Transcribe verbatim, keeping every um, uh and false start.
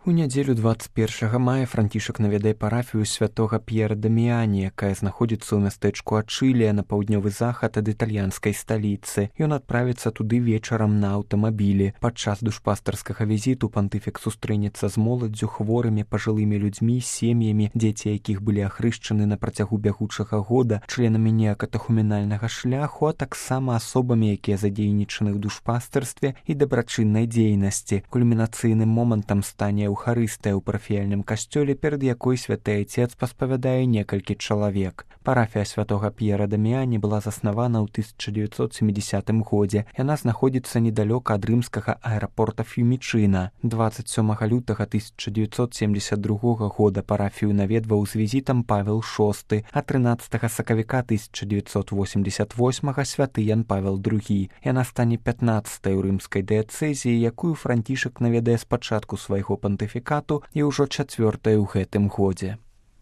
У нядзелю дваццаць першага мая Францішак наведае парафію святога П'ера Даміяні, якая знаходзіцца ў мястэчку Ачылія на паўднёвы захад ад італьянскай сталіцы. Ён адправіцца туды вечарам на аўтамабілі. Падчас душпастарскага візіту пантыфік сустрэнецца з моладдзю, хворымі, пажылымі людзьмі, сем'ямі, дзеці якіх былі ахрышчаны на працягу бягучага года, членамі неакатахумінальнага шляху, а таксама асобамі, якія задзейнічаны ў душпастарстве і дабрачыннай дзейнасці. Кульмінацыйным момантам стане Эўхарыстыя ў парафіяльным касцёле, перад якой святы айцец паспавядае некалькі чалавек. Парафія святога П'ера Даміяні была заснавана ў тысяча дзевяцьсот сямідзясятым годзе. Яна знаходзіцца недалёка ад рымскага аэрапорта Фьюмічына. дваццаць сёмага лютага тысяча дзевяцьсот семдзесят другога года парафію наведваў з візітам Павел шосты, а трынаццатага сакавіка тысяча дзевяцьсот восемдзесят восьмага святы Ян Павел другі. Яна стане пятнаццатай у рымскай дыяцэзіі, якую Францішак наведае спачатку свайго пантыфікату і ўжо чацвёртая ў гэтым годзе.